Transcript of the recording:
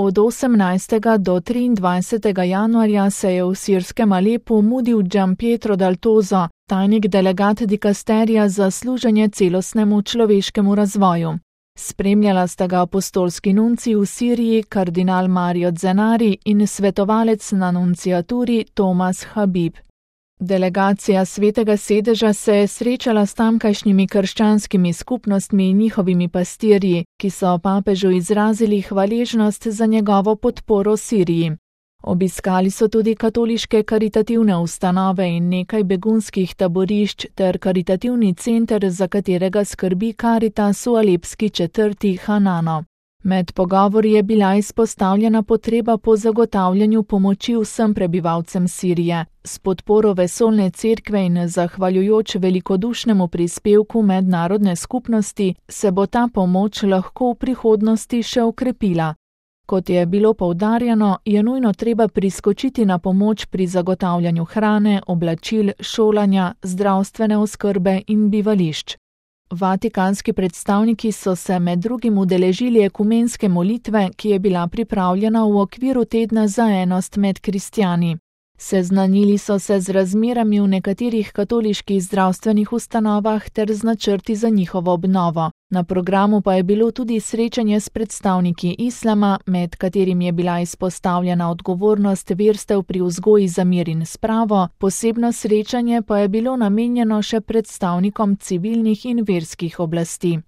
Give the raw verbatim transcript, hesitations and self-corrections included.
Od osemnajstega do triindvajsetega januarja se je v sirskem Alepu mudil Gianpietro Dal Tozo, tajnik delegat dikasterija za služenje celostnemu človeškemu razvoju. Spremljala sta ga apostolski nuncij v Siriji kardinal Mario Zenari in svetovalec na nunciaturi Tomas Habib. Delegacija Svetega sedeža se je srečala s tamkajšnjimi krščanskimi skupnostmi in njihovimi pastirji, ki so papežu izrazili hvaležnost za njegovo podporo Siriji. Obiskali so tudi katoliške karitativne ustanove in nekaj begunskih taborišč ter karitativni center, za katerega skrbi Karitas v alepski četrti Hanano. Med pogovori je bila izpostavljena potreba po zagotavljanju pomoči vsem prebivalcem Sirije. S podporo vesoljne cerkve in zahvaljujoč velikodušnemu prispevku mednarodne skupnosti se bo ta pomoč lahko v prihodnosti še okrepila. Kot je bilo poudarjeno, je nujno treba priskočiti na pomoč pri zagotavljanju hrane, oblačil, šolanja, zdravstvene oskrbe in bivališč. Vatikanski predstavniki so se med drugim udeležili ekumenske molitve, ki je bila pripravljena v okviru tedna za enost med kristjani. Seznanili so se z razmerami v nekaterih katoliških zdravstvenih ustanovah ter z načrti za njihovo obnovo. Na programu pa je bilo tudi srečanje s predstavniki islama, med katerim je bila izpostavljena odgovornost verstev pri vzgoji za mir in spravo, posebno srečanje pa je bilo namenjeno še predstavnikom civilnih in verskih oblasti.